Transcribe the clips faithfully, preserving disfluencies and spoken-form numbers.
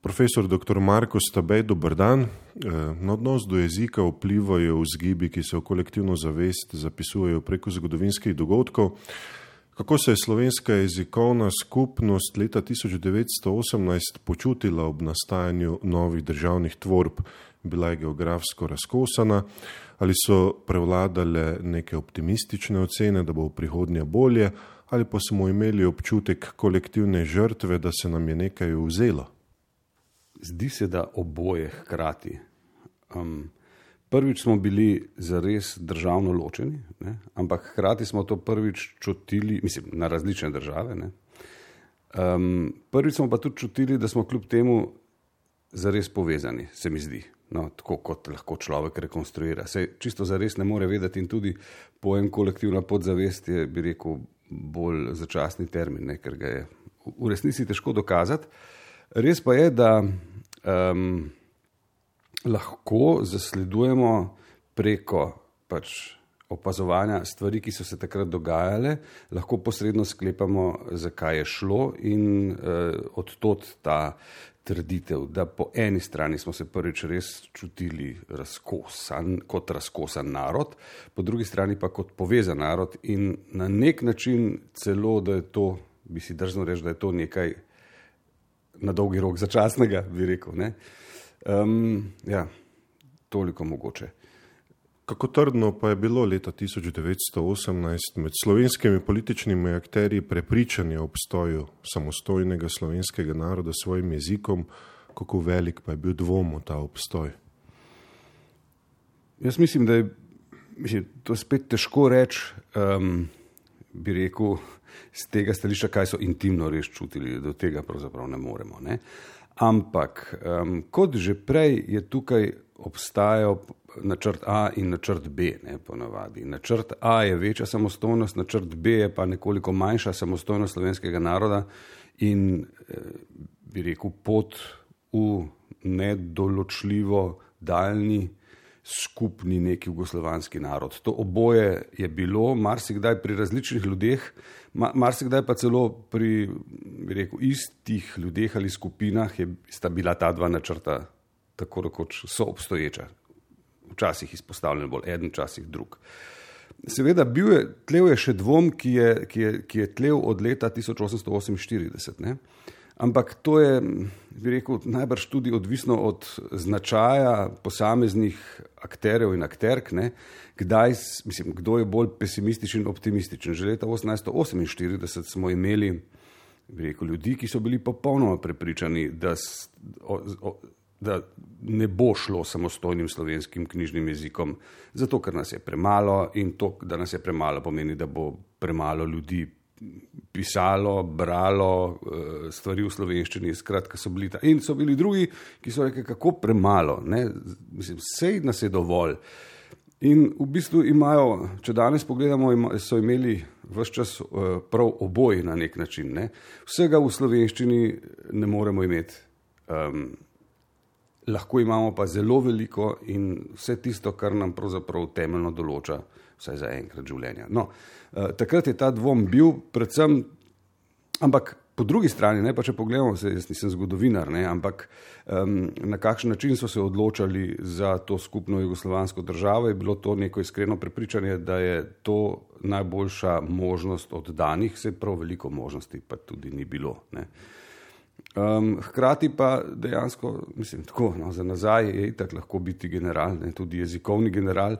Profesor doktor Marko Stabej, dober dan. Na odnos do jezika vplivajo vzgibi, ki se v kolektivno zavest zapisujejo preko zgodovinskih dogodkov. Kako se je slovenska jezikovna skupnost leta tisoč devetsto osemnajst počutila ob nastajanju novih državnih tvorb? Bila je geografsko razkosana ali so prevladale neke optimistične ocene, da bo v prihodnje bolje, ali pa smo imeli občutek kolektivne žrtve, da se nam je nekaj vzelo? Zdi se, da oboje hkrati. Um, prvič smo bili zares državno ločeni, ne? Ampak hkrati smo to prvič čutili, mislim, na različne države. Ne? Um, prvič smo pa tudi čutili, da smo kljub temu zares povezani, se mi zdi. No, tako kot lahko človek rekonstruira. Se čisto zares ne more vedeti in tudi pojem kolektivna podzavest je, bi rekel, bolj začasni termin, ne? Ker ga je v resnici težko dokazati. Res pa je, da um, lahko zasledujemo preko pač opazovanja stvari, ki so se takrat dogajale, lahko posredno sklepamo, zakaj je šlo in uh, odtod ta trditev, da po eni strani smo se prvič res čutili razkosan, kot razkosan narod, po drugi strani pa kot povezan narod in na nek način celo, da je to, bi si drzno reči, da je to nekaj na dolgi rok začasnega, bi rekel. Ne? Um, ja, toliko mogoče. Kako trdno pa je bilo leta tisoč devetsto osemnajst med slovenskimi političnimi akterji prepričanje o obstoju samostojnega slovenskega naroda s svojim jezikom, kako velik pa je bil dvom v ta obstoj? Jaz mislim, da je mislim, to spet težko reči, um, bi rekel, z tega stališča, kaj so intimno res čutili, do tega pravzaprav ne moremo. Ne? Ampak, um, kot že prej je tukaj obstajal načrt A in načrt B, ne, ponavadi. Načrt A je večja samostojnost, načrt B je pa nekoliko manjša samostojnost slovenskega naroda in, bi rekel, pot v nedoločljivo daljni skupni neki jugoslovanski narod. To oboje je bilo marsikdaj pri različnih ljudeh, marsikdaj pa celo pri, bi rekel, istih ljudeh ali skupinah je, sta bila ta dva načrta tako rekoč soobstoječa. Včasih izpostavljen bolj eden, včasih drug. Seveda bil je, tlel je še dvom, ki je, ki je, ki je tlel od leta tisoč osemsto oseminštirideset. Ne? Ampak to je, bi rekel, najbrž tudi odvisno od značaja posameznih akterjev in akterk, ne? Kdaj, mislim, kdo je bolj pesimističen in optimističen. Že leta osemnajststo oseminštirideset smo imeli, bi rekel, ljudi, ki so bili popolnoma prepričani, da o, o, da ne bo šlo samostojnim slovenskim knjižnim jezikom, zato ker nas je premalo in to, da nas je premalo, pomeni, da bo premalo ljudi pisalo, bralo stvari v slovenščini, skratka so bili ta. In so bili drugi, ki so rekli, kako premalo, ne? Mislim, sej nas je dovolj. In v bistvu imajo, če danes pogledamo, so imeli ves čas prav oboji na nek način. Ne? Vsega v slovenščini ne moremo imeti. Um, Lahko imamo pa zelo veliko in vse tisto, kar nam pravzaprav temeljno določa, vsaj za enkrat življenja. No, eh, takrat je ta dvom bil predvsem, ampak po drugi strani, ne, pa če pogledamo, se, jaz nisem zgodovinar, ne, ampak um, na kakšen način so se odločali za to skupno jugoslovansko državo, je bilo to neko iskreno prepričanje, da je to najboljša možnost od danih, se prav veliko možnosti pa tudi ni bilo, ne. Um, hkrati pa dejansko, mislim, tako, no, za nazaj je itak lahko biti general, ne, tudi jezikovni general,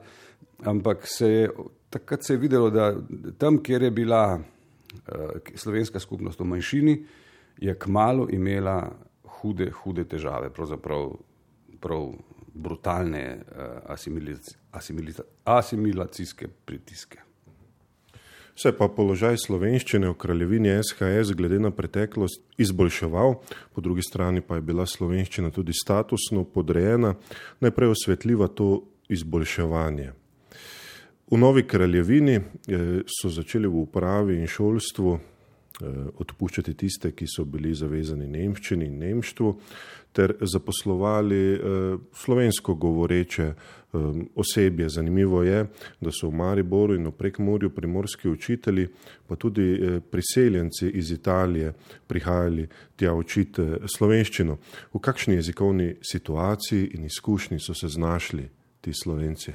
ampak se je, takrat se je videlo, da tam, kjer je bila uh, slovenska skupnost v manjšini, je kmalu imela hude, hude težave, pravzaprav prav brutalne uh, asimiliz, asimiliz, asimilacijske pritiske. Se pa položaj slovenščine v kraljevini S H S glede na preteklost izboljševal, po drugi strani pa je bila slovenščina tudi statusno podrejena, najprej osvetljiva to izboljševanje. V novi kraljevini so začeli v upravi in šolstvu odpuščati tiste, ki so bili zavezani nemščini in nemštvu, ter zaposlovali slovensko govoreče osebje. Zanimivo je, da so v Mariboru in v Prekmurju primorski učitelji, pa tudi priseljenci iz Italije prihajali tja učiti slovenščino. V kakšni jezikovni situaciji in izkušnji so se znašli ti Slovenci?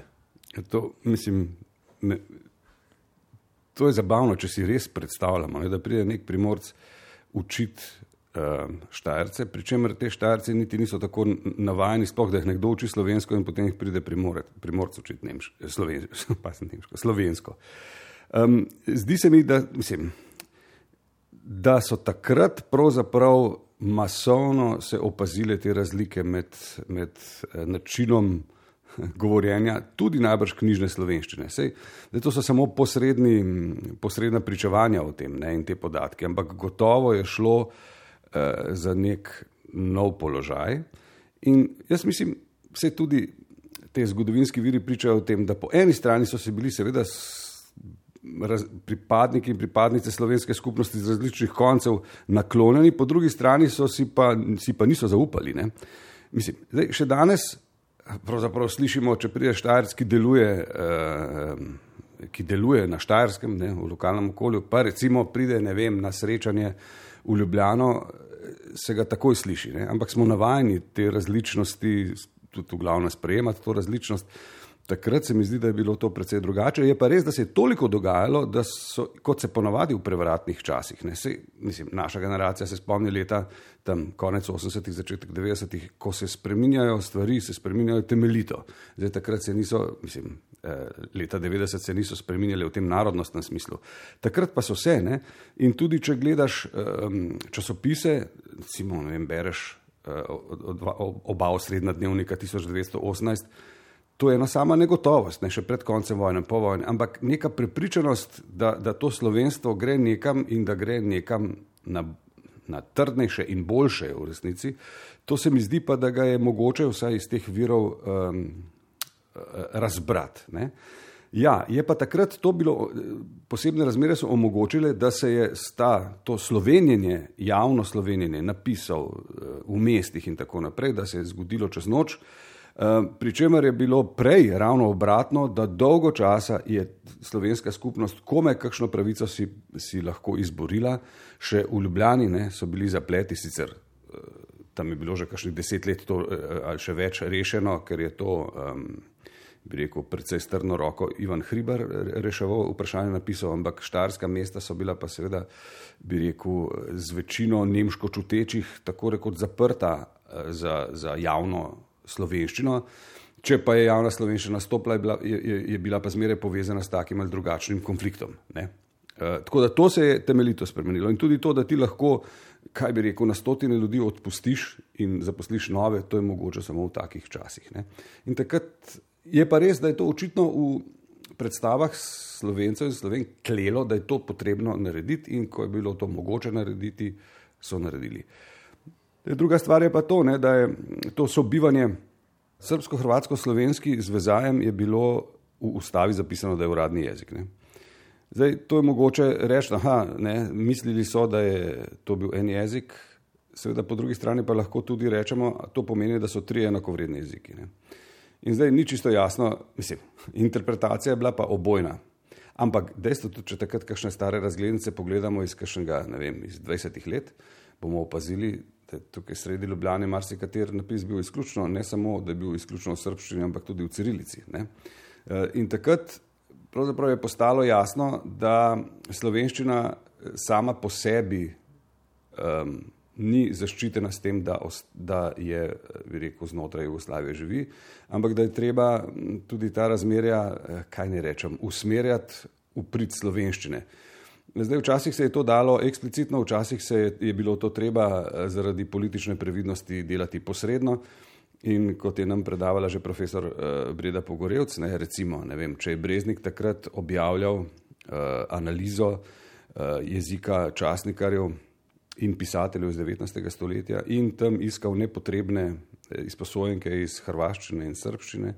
To, mislim, me, to je zabavno, če si res predstavljamo, ne, da pride nek Primorc učiti uh, Štajerce, pri čemer te Štajerci niti niso tako navajeni, sploh da jih nekdo uči slovensko in potem jih pride Primorec, Primorc učiti nemško, slovensko, pa sem nemško, slovensko. Um, zdi se mi, da, mislim, da so takrat pravzaprav masovno se opazile te razlike med, med uh, načinom govorjenja, tudi najbrž knjižne slovenščine. Sej, da to so samo posredni, posredna pričevanja o tem, ne, in te podatke, ampak gotovo je šlo eh, za nek nov položaj. In jaz mislim, vse tudi te zgodovinski viri pričajo o tem, da po eni strani so se bili seveda raz, pripadniki in pripadnice slovenske skupnosti z različnih koncev naklonjeni, po drugi strani so si pa, si pa niso zaupali. Ne. Mislim, zdaj, še danes pravzaprav slišimo, če pride Štajerc, ki deluje, eh, ki deluje na Štajerskem, ne, v lokalnem okolju, pa recimo pride, ne vem, na srečanje v Ljubljano, se ga takoj sliši, ne, ampak smo navajeni te različnosti, tudi v glavno sprejemati to različnost. Takrat se mi zdi, da je bilo to precej drugače. Je pa res, da se je toliko dogajalo, da so, kot se ponavadi v prevratnih časih, ne, se, mislim, naša generacija se spomni leta tam konec osemdesetih, začetek devetdesetih, ko se spreminjajo stvari, se spreminjajo temeljito. Zdaj takrat se niso, mislim, leta devetdeset se niso spreminjali v tem narodnostnem smislu. Takrat pa so se, ne, in tudi če gledaš um, časopise, recimo, ne vem, bereš uh, oba osrednja dnevnika tisoč devetsto osemnajst, to je ena sama negotovost, ne, še pred koncem vojne, po vojni, ampak neka prepričanost, da, da to slovenstvo gre nekam in da gre nekam na, na trdnejše in boljše v resnici, to se mi zdi pa, da ga je mogoče vsaj iz teh virov um, razbrati. Ne. Ja, je pa takrat to bilo, posebne razmere so omogočile, da se je sta to slovenjenje, javno slovenjenje napisal v mestih in tako naprej, da se je zgodilo čez noč, pri čemer je bilo prej ravno obratno, da dolgo časa je slovenska skupnost komaj kakšno pravico si, si lahko izborila, še v Ljubljani, ne, so bili zapleti, sicer tam je bilo že kakšnih deset let to, ali še več rešeno, ker je to, um, bi rekel, precej strno roko Ivan Hribar reševal vprašanje napisal, ampak štajerska mesta so bila pa seveda, bi rekel, z večino nemško čutečih tako rekoč zaprta za, za javno slovenščino, če pa je javna slovenščina stopila, je bila, je, je bila pa zmeraj povezana s takim ali drugačnim konfliktom. Ne? E, tako da to se je temeljito spremenilo in tudi to, da ti lahko, kaj bi rekel, na stotine ljudi odpustiš in zaposliš nove, to je mogoče samo v takih časih. Ne? In takrat je pa res, da je to očitno v predstavah Slovencev in Sloven klelo, da je to potrebno narediti in ko je bilo to mogoče narediti, so naredili. Druga stvar je pa to, ne, da je to sobivanje srbsko-hrvatsko-slovenski z vezajem je bilo v ustavi zapisano, da je uradni jezik. Ne. Zdaj, to je mogoče reči, aha, ne, mislili so, da je to bil en jezik, seveda po drugi strani pa lahko tudi rečemo, to pomeni, da so tri enakovredni jeziki. Ne. In zdaj ni čisto jasno, mislim, interpretacija je bila pa obojna. Ampak dejstvo tudi, če takrat kakšne stare razglednice pogledamo iz kakšnega, ne vem, iz dvajsetih let, bomo opazili, tukaj sredi Ljubljane marsikater napis bil izključno, ne samo, da je bil izključno v srbščini, ampak tudi v cirilici. Ne? In takrat pravzaprav je postalo jasno, da slovenščina sama po sebi um, ni zaščitena s tem, da, da je, bi rekel, znotraj Jugoslavije živi, ampak da je treba tudi ta razmerja, kaj ne rečem, usmerjati v prid slovenščine. Zdaj, včasih se je to dalo eksplicitno, včasih se je, je bilo to treba zaradi politične previdnosti delati posredno in kot je nam predavala že profesor uh, Breda Pogorevc, ne, recimo, ne vem, če je Breznik takrat objavljal uh, analizo uh, jezika časnikarjev in pisateljev iz devetnajstega stoletja in tam iskal nepotrebne izposojenke iz hrvaščine in srbščine,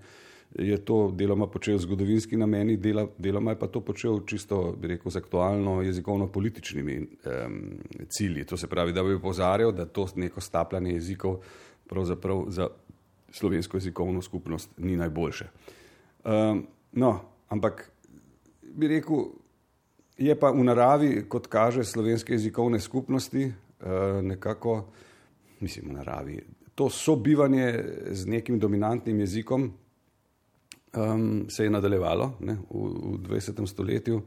je to deloma počel zgodovinski nameni, dela, deloma je pa to počel čisto, bi rekel, z aktualno jezikovno-političnimi um, cilji. To se pravi, da bi opozarjal, da to neko stapljanje jezikov pravzaprav za slovensko jezikovno skupnost ni najboljše. Um, no, ampak bi rekel, je pa v naravi, kot kaže slovenske jezikovne skupnosti, uh, nekako, mislim v naravi, to sobivanje z nekim dominantnim jezikom um, se je nadaljevalo ne, v, v dvajsetem stoletju uh,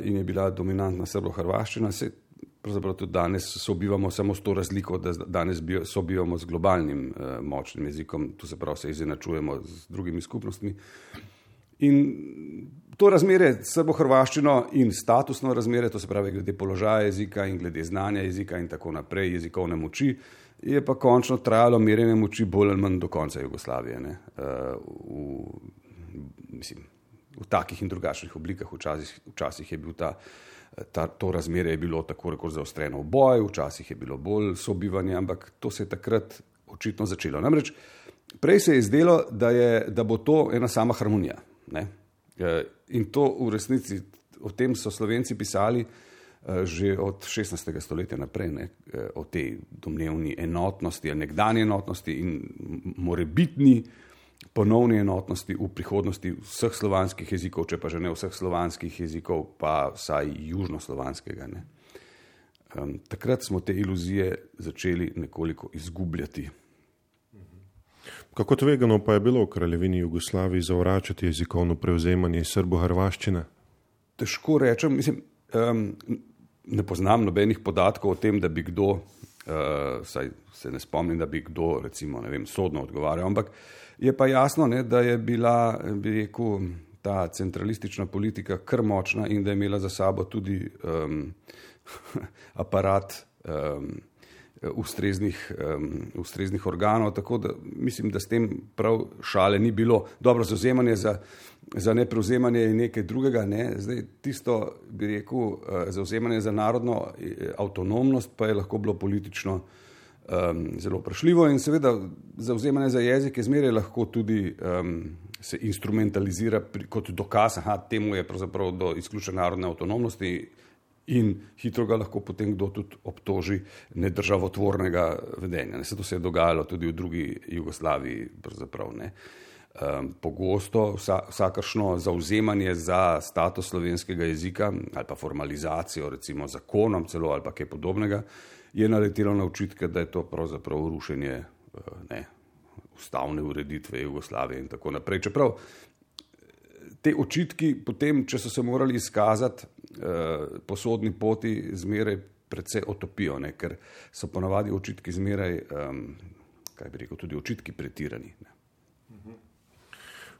in je bila dominantna srbo-hrvaščina. Se pravzaprav tudi danes sobivamo samo s to razliko, da danes sobivamo z globalnim uh, močnim jezikom, tu se pravi se izenačujemo z drugimi skupnostmi. In to razmerje s srbo-hrvaščino in statusno razmerje, to se pravi glede položaja jezika in glede znanja jezika in tako naprej, jezikovne moči, je pa končno trajalo merjenje moči bolj ali manj do konca Jugoslavije. Ne? Uh, v, mislim, v takih in drugačnih oblikah, včasih, včasih je bil ta, ta, to razmerje je bilo tako rekoč zaostreno v boju, včasih je bilo bolj sobivanje, ampak to se je takrat očitno začelo. Namreč prej se je zdelo, da, je, da bo to ena sama harmonija. Ne? In to v resnici, o tem so Slovenci pisali že od šestnajstega stoletja naprej, ne? O tej domnevni enotnosti, nekdanje enotnosti in morebitni ponovni enotnosti v prihodnosti vseh slovanskih jezikov, če pa že ne vseh slovanskih jezikov, pa vsaj južnoslovanskega. Ne? Um, takrat smo te iluzije začeli nekoliko izgubljati. Kako tvegano pa je bilo v Kraljevini Jugoslaviji zavračati jezikovno prevzemanje srbo-hrvaščine? Težko rečem, mislim, um, ne poznam nobenih podatkov o tem, da bi kdo, uh, saj se ne spomnim, da bi kdo, recimo, ne vem, sodno odgovarjal, ampak je pa jasno, ne, da je bila, bi rekel, ta centralistična politika kar močna in da je imela za sabo tudi um, aparat um, Ustreznih, um, ustreznih organov, tako da mislim, da s tem prav šale ni bilo. Dobro, zauzemanje za, za neprevzemanje je nekaj drugega, ne? Zdaj tisto, bi rekel, zauzemanje za narodno avtonomnost pa je lahko bilo politično um, zelo vprašljivo in seveda zauzemanje za jezik je zmeraj lahko tudi um, se instrumentalizira pri, kot dokaz, aha, temu je pravzaprav do izključne narodne avtonomnosti in hitro ga lahko potem kdo tudi obtoži nedržavotvornega vedenja. Ne, se to se je dogajalo tudi v drugi Jugoslaviji, pravzaprav ne. Um, pogosto vsa, vsakršno zauzemanje za status slovenskega jezika ali pa formalizacijo, recimo zakonom celo ali pa kaj podobnega, je naletelo na očitke, da je to pravzaprav rušenje uh, ne, ustavne ureditve Jugoslavije in tako naprej. Čeprav te očitki potem, če so se morali izkazati eh, po sodni poti, zmeraj precej otopijo, ne? Ker so ponavadi očitki zmeraj, um, kaj bi rekel, tudi očitki pretirani. Ne?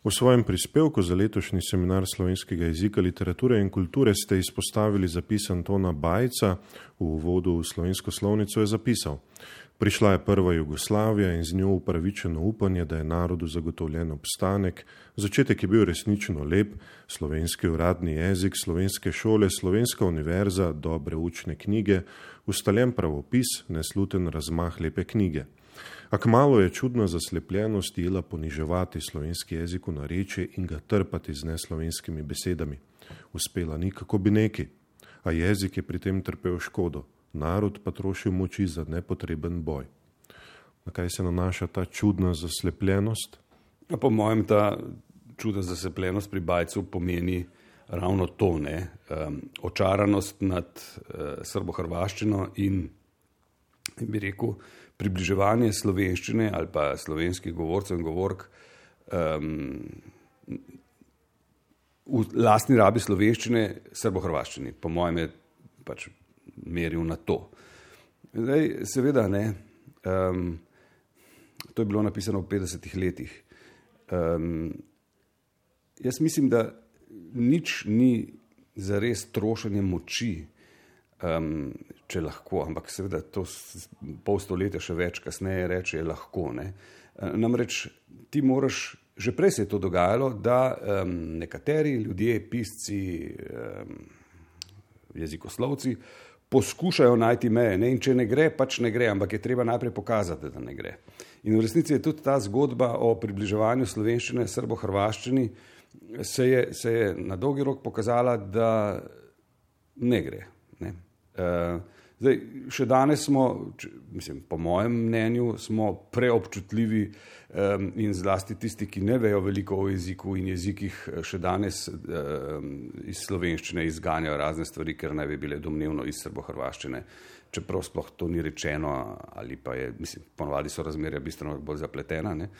V svojem prispevku za letošnji seminar slovenskega jezika, literature in kulture ste izpostavili zapis Antona Bajca. V uvodu v slovensko slovnico je zapisal: Prišla je prva Jugoslavija in z njo upravičeno upanje, da je narodu zagotovljen obstanek. Začetek je bil resnično lep, slovenski uradni jezik, slovenske šole, slovenska univerza, dobre učne knjige, ustaljen pravopis, nesluten razmah lepe knjige. A kmalu je čudna zaslepljenost jela poniževati slovenski jezik v narečje in ga trpati z neslovenskimi besedami. Uspela ni kako bi neki, a jezik je pri tem trpel škodo. Narod pa trošil moči za nepotreben boj. Na kaj se nanaša ta čudna zaslepljenost? Ja, po mojem, ta čudna zaslepljenost pri Bajcu pomeni ravno to, ne? Um, očaranost nad uh, srbo-hrvaščino in, bi rekel, približevanje slovenščine ali pa slovenskih govorcev in govork um, v lastni rabi slovenščine srbo-hrvaščini. Po mojem je pač meril na to. Zdaj, seveda, ne, um, to je bilo napisano v petdesetih letih. Um, jaz mislim, da nič ni zares trošenje moči, um, če lahko, ampak seveda to pol stoletja še več kasneje reče je lahko. Ne. Namreč ti moraš, že prej se je to dogajalo, da um, nekateri ljudje, pisci, um, jezikoslovci, poskušajo najti meje. Ne? In če ne gre, pač ne gre, ampak je treba najprej pokazati, da ne gre. In v resnici je tudi ta zgodba o približevanju slovenščine srbo-hrvaščini se je, se je na dolgi rok pokazala, da ne gre. Ne? Uh, zdaj, še danes smo, če, mislim, po mojem mnenju, smo preobčutljivi um, in zlasti tisti, ki ne vejo veliko o jeziku in jezikih, še danes um, iz slovenščine izganjajo razne stvari, ker naj bi bile domnevno iz srbo-hrvaščine, čeprav sploh to ni rečeno, ali pa je, mislim, ponovadi so razmerja bistveno bolj zapletena. Ne?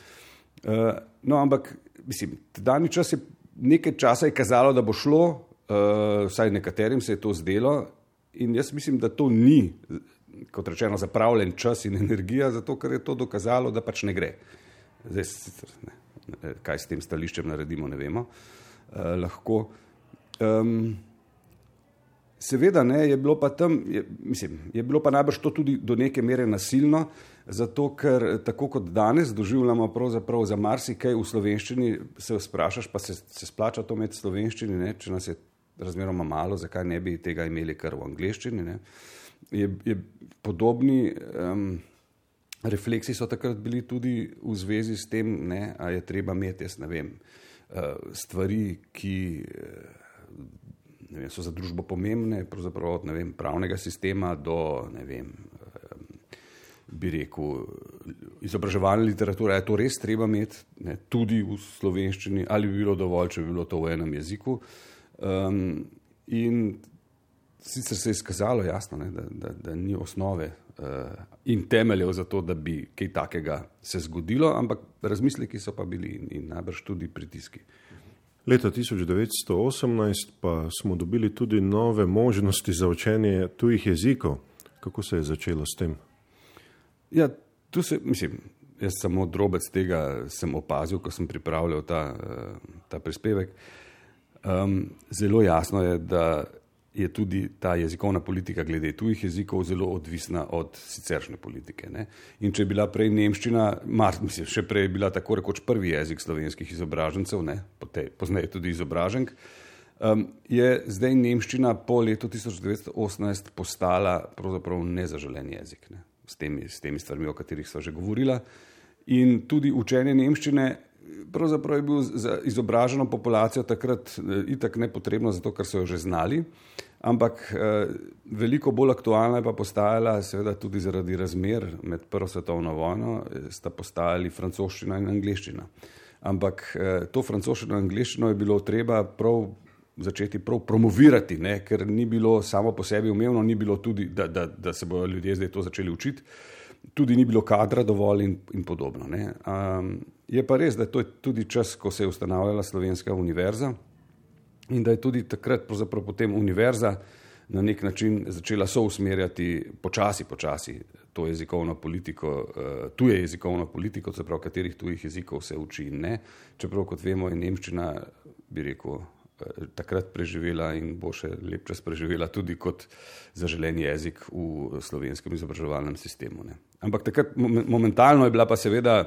Uh, no, ampak, mislim, dani čas je, nekaj časa je kazalo, da bo šlo, uh, vsaj nekaterim se je to zdelo, in jaz mislim, da to ni, kot rečeno, zapravljen čas in energija, zato ker je to dokazalo, da pač ne gre. Zdaj, ne, kaj s tem stališčem naredimo, ne vemo. Uh, lahko. Um, seveda, ne, je bilo pa tam, je, mislim, je bilo pa najbrž to tudi do neke mere nasilno, zato ker tako kot danes doživljamo pravzaprav za marsikaj v slovenščini, se sprašaš, pa se, se splača to imeti v slovenščini, ne, če nas je razmeroma malo, zakaj ne bi tega imeli kar v angleščini. Ne. Je, je podobni um, refleksi so takrat bili tudi v zvezi s tem, ne, a je treba imeti, jaz ne vem, uh, stvari, ki ne vem, so za družbo pomembne, pravzaprav od ne vem, pravnega sistema do, ne vem, um, bi rekel, izobraževalne literature, je to res treba imeti, ne, tudi v slovenščini, ali bi bilo dovolj, če bi bilo to v enem jeziku. Um, in sicer se je izkazalo jasno, ne, da, da, da ni osnove uh, in temeljev za to, da bi kaj takega se zgodilo, ampak razmisleki so pa bili in, in najbrž tudi pritiski. Leta tisoč devetsto osemnajst pa smo dobili tudi nove možnosti za učenje tujih jezikov. Kako se je začelo s tem? Ja, tu se, mislim, jaz samo drobec tega sem opazil, ko sem pripravljal ta, uh, ta prispevek. Um, zelo jasno je, da je tudi ta jezikovna politika glede tujih jezikov zelo odvisna od siceršnje politike. Ne? In če je bila prej nemščina, mar, mislim, še prej je bila tako rekoč prvi jezik slovenskih izobražencev, ne? Pozneje tudi izobraženk, um, je zdaj nemščina po letu tisoč devetsto osemnajst postala pravzaprav nezaželen jezik, ne? S temi, s temi stvarmi, o katerih sva že govorila. In tudi učenje nemščine pravzaprav je bil za izobraženo populacijo takrat itak nepotrebno, zato ker so jo že znali, ampak eh, veliko bolj aktualna je pa postajala seveda tudi zaradi razmer med prvo svetovno vojno, sta postajali francoščina in angleščina. Ampak eh, to francoščino in angleščino je bilo treba prav začeti prav promovirati, ne? Ker ni bilo samo po sebi umevno, ni bilo tudi, da, da, da se bodo ljudje zdaj to začeli učiti, tudi ni bilo kadra dovolj in, in podobno. Ne? Um, je pa res, da to je tudi čas, ko se je ustanavljala Slovenska univerza in da je tudi takrat pravzaprav potem univerza na nek način začela sousmerjati počasi, počasi to jezikovno politiko, uh, tuje jezikovno politiko, se pravi, katerih tujih jezikov se uči in ne. Čeprav, kot vemo, je nemščina, bi rekel, takrat preživela in bo še lep čas preživela tudi kot zaželen jezik v slovenskem izobraževalnem sistemu. Ne. Ampak takrat momentalno je bila pa seveda,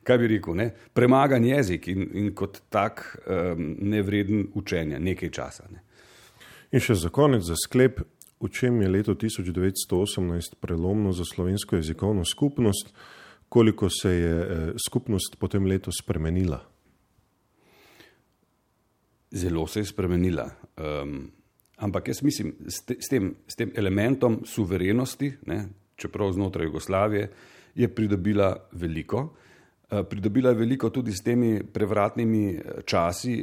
kaj bi rekel, ne, premagan jezik in, in kot tak um, nevreden učenja nekaj časa. Ne. In še za konec, za sklep, v čem je leto tisoč devetsto osemnajst prelomno za slovensko jezikovno skupnost, koliko se je eh, skupnost po tem letu spremenila? Zelo se je spremenila, um, ampak jaz mislim, s, te, s, tem, s tem elementom suverenosti, ne, čeprav znotraj Jugoslavije, je pridobila veliko. Uh, pridobila je veliko tudi s temi prevratnimi časi,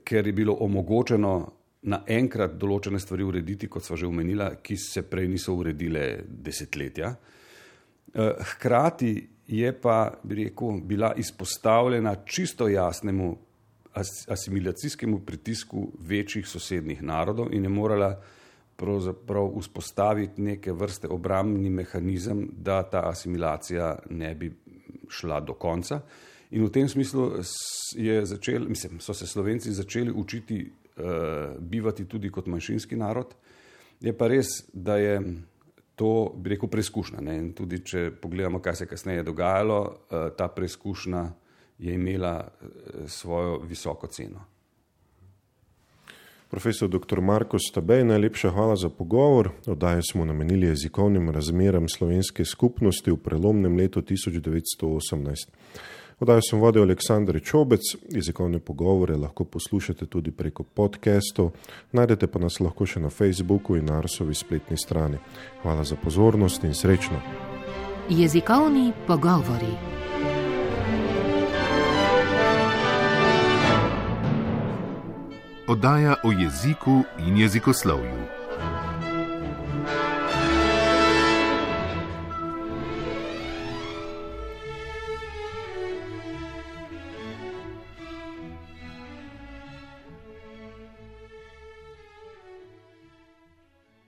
ker je bilo omogočeno naenkrat določene stvari urediti, kot sva že omenila, ki se prej niso uredile desetletja. Uh, hkrati je pa, bi rekel, bila izpostavljena čisto jasnemu asimilacijskemu pritisku večjih sosednjih narodov in je morala pravzaprav vzpostaviti neke vrste obrambni mehanizem, da ta asimilacija ne bi šla do konca. In v tem smislu je začel, mislim, so se Slovenci začeli učiti uh, bivati tudi kot manjšinski narod. Je pa res, da je to, bi rekel, preizkušnja. Ne? In tudi, če pogledamo, kaj se kasneje dogajalo, uh, ta preizkušnja je imela svojo visoko ceno. Profesor doktor Marko Stabej, najlepša hvala za pogovor. Oddajo smo namenili jezikovnim razmeram slovenske skupnosti v prelomnem letu tisoč devetsto osemnajst. Oddajo sem vodil Aleksander Čobec, jezikovne pogovore lahko poslušate tudi preko podcastov, najdete pa nas lahko še na Facebooku in Arsovi spletni strani. Hvala za pozornost in srečno. Jezikovni pogovori. Oddaja o jeziku in jezikoslovju.